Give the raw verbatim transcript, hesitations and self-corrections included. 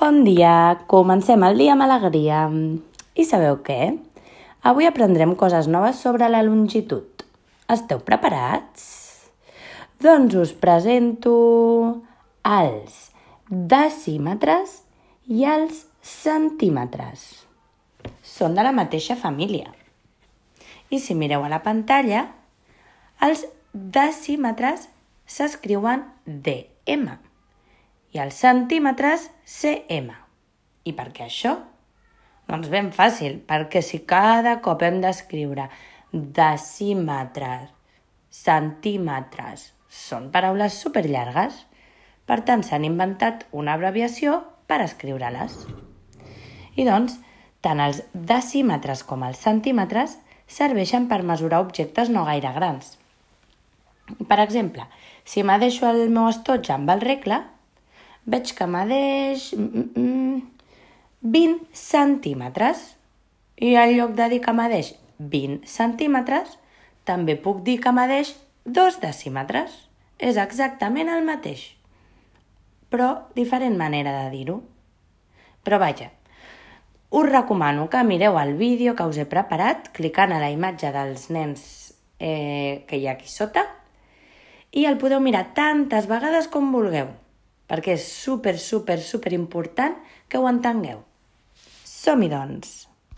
Bon dia, comencem el dia amb alegria. I sabeu què? Avui aprendrem coses noves sobre la longitud. Esteu preparats? Doncs us presento els decímetres i els centímetres. Són de la mateixa família. I si mireu a la pantalla, els decímetres s'escriuen D M i els centímetres C M. I per què això? Doncs ben fàcil, perquè si cada cop hem d'escriure decímetres, centímetres, són paraules superllargues. Per tant, s'han inventat una abreviació per escriure-les. I doncs, tant els decímetres com els centímetres serveixen per mesurar objectes no gaire grans. Per exemple, si m'adeixo el meu estoig amb el regle, veig que m'adeix vint centímetres. I en lloc de dir que m'adeix vint centímetres, també puc dir que m'adeix dos decímetres. És exactament el mateix, però diferent manera de dir-ho. Però vaja, us recomano que mireu el vídeo que us he preparat clicant a la imatge dels nens eh, que hi ha aquí sota i el podeu mirar tantes vegades com vulgueu, perquè és super, super, super important que ho entengueu. Som-hi, doncs!